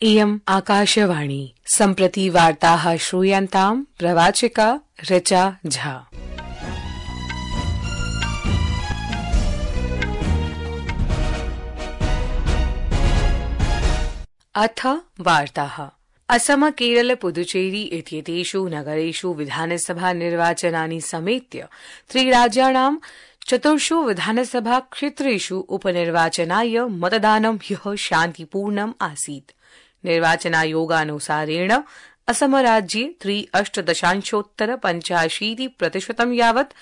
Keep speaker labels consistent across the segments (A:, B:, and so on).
A: इयम् आकाशवाणी सम्प्रति वार्ताः श्रूयन्ताम् प्रवाचिका ऋचा झा। अथ वार्ताः। असम केरल पुदुचेरी इत्येतेषु नगरेषु विधानसभा निर्वाचनानि समेत्य त्रिराज्याणां चतुर्षु विधानसभा क्षेत्रेषु उपनिर्वाचनाय मतदानं ह्यः शान्तिपूर्णम् आसीत्। निर्वाचनायोगानुसारेण असम राज्ये 3.85% यावत्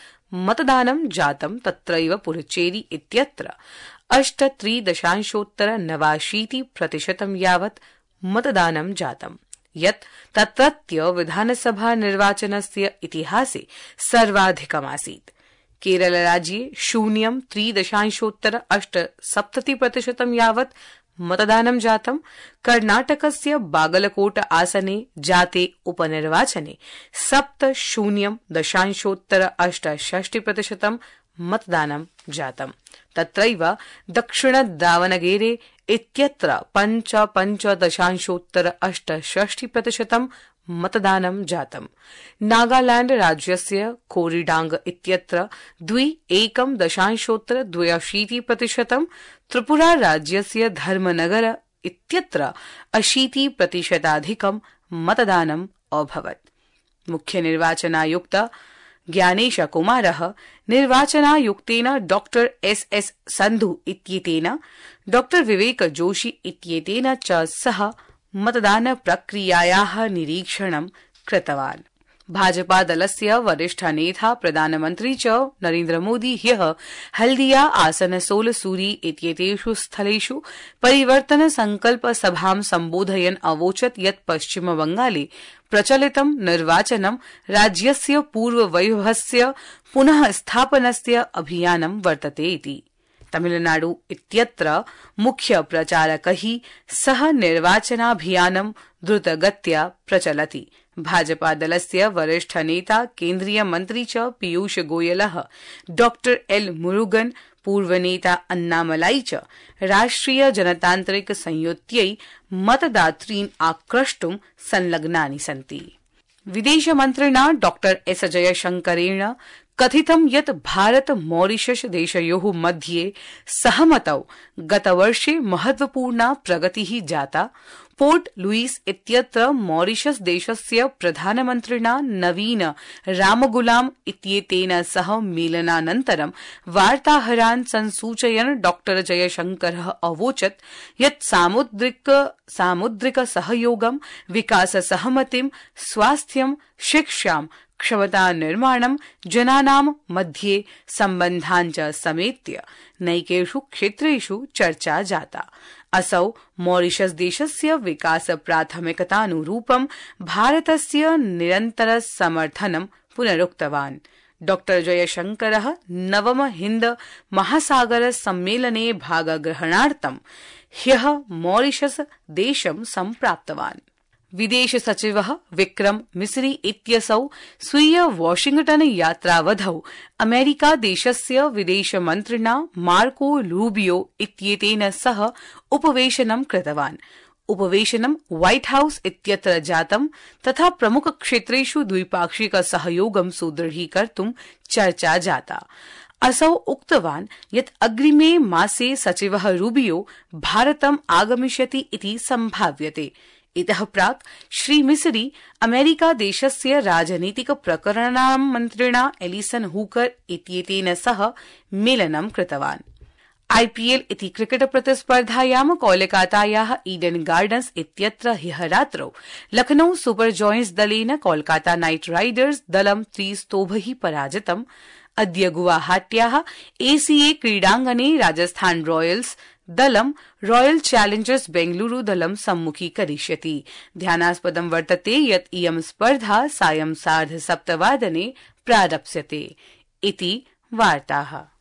A: मतदानं जातं। तत्रैव पुदुचेरी इत्यत्र 83.89% यावत् मतदानं जातम्, यत् तत्रत्य विधानसभा निर्वाचनस्य इतिहासे सर्वाधिकमासीत्। केरल राज्ये 0.3% यावत् मतदानं जातम्। कर्णाटकस्य बागलकोट आसने जाते उपनिर्वाचने 70.68% मतदानं जातम्। तत्रैव दक्षिण दावनगेरे इत्यत्र 55.68% मतदानं जातम्। नागालैंड राज्यस्य कोरीडांग इत्यत्र 1.82%, त्रिपुरा राज्यस्य धर्मनगर इत्यत्र 80% मतदानम् अभवत्। मुख्य निर्वाचनायुक्त ज्ञानेश कुमारः निर्वाचनायुक्तेन डॉक्टर एस संधु इत्येतेन डॉक्टर विवेक जोशी इत्येतेन च सह मतदान प्रक्रियायाः निरीक्षणं कृतवान्। भाजपा दलस्य वरिष्ठ नेता प्रधानमन्त्री च नरेन्द्र मोदी ह्यः हल्दिया आसनसोल सूरी इत्येतेषु स्थलेषु परिवर्तन संकल्प सभां सम्बोधयन् अवोचत् यत् पश्चिम बंगाले प्रचलितं निर्वाचनं राज्यस्य पूर्ववैभवस्य पुनः स्थापनस्य अभियानं वर्तते इति। तमिलनाडु इत्यत्र मुख्य प्रचारकैः सह निर्वाचनाभियानं द्रुतगत्या प्रचलति। भाजपा दलस्य वरिष्ठ नेता केन्द्रीय मन्त्री च पीयूष गोयलः, डॉक्टर एल मुरुगन, पूर्वनेता अन्नामलाई च राष्ट्रिय जनतान्त्रिक संयुत्यै मतदातॄन् आक्रष्टुं संलग्नानि सन्ति। विदेशमन्त्रिणा डॉक्टर एस जयशंकरेण कथितं यत् भारत मॉरिशस देशयोः मध्ये सहमतौ गतवर्षे महत्वपूर्णा प्रगतिः जाता। पोर्ट लुईस इत्यत्र मॉरिशस देशस्य प्रधानमन्त्रिणा नवीन रामगुलाम इत्येतेन सह मेलनानन्तरं वार्ताहरान् संसूचयन् डॉक्टर जयशंकरः अवोचत् यत् सामुद्रिक सहयोगं, विकास सहमतिं, स्वास्थ्यं, शिक्षां, क्षमता निर्माणं, जनानां मध्ये सम्बन्धान् च समेत्य नैकेषु क्षेत्रेषु चर्चा जाता। असौ मॉरिशस देशस्य विकास प्राथमिकतानुरूपं भारतस्य निरन्तर समर्थनं पुनरुक्तवान्। डॉक्टर जयशंकरः नवम हिन्द महासागर सम्मेलने भागग्रहणार्थं ह्यः मॉरिशस देशं सम्प्राप्तवान्। विदेश सचिवः विक्रम मिसरी इत्यसौ स्वीय वाशिंगटन यात्रावधौ अमेरिका देशस्य विदेशमन्त्रिणा मार्को रूबियो इत्येतेन सह उपवेशनं कृतवान्। उपवेशनं व्हाइट हाउस इत्यत्र जातं तथा प्रमुख क्षेत्रेषु द्विपाक्षिक सहयोगं सुदृढीकर्तुं चर्चा जाता। असौ उक्तवान् यत् अग्रिमे मासे सचिवः रूबियो भारतम् आगमिष्यति इति सम्भाव्यते। इतः प्राक् श्री मिसरी अमेरिका देशस्य राजनीतिक प्रकरणानां मन्त्रिणा एलिसन हूकर इत्येतेन सह मेलनं कृतवान्। आईपीएल इति क्रिकेट प्रतिस्पर्धायां कोलकातायाः ईडन गार्डन्स इत्यत्र ह्यः रात्रौ लखनऊ सुपर जॉयंट्स दलेन कोलकाता नाइट राइडर्स दलं 3-0 पराजितम्। अद्य गुवाहाट्याः एसीए क्रीडाङ्गणे राजस्थान रॉयल्स दलं रॉयल चैलेंजर्स बेंगलुरु दलं सम्मुखीकरिष्यति। ध्यानास्पदं वर्तते यत् इयं स्पर्धा सायं 7:30 प्रारप्स्यते इति वार्ताः।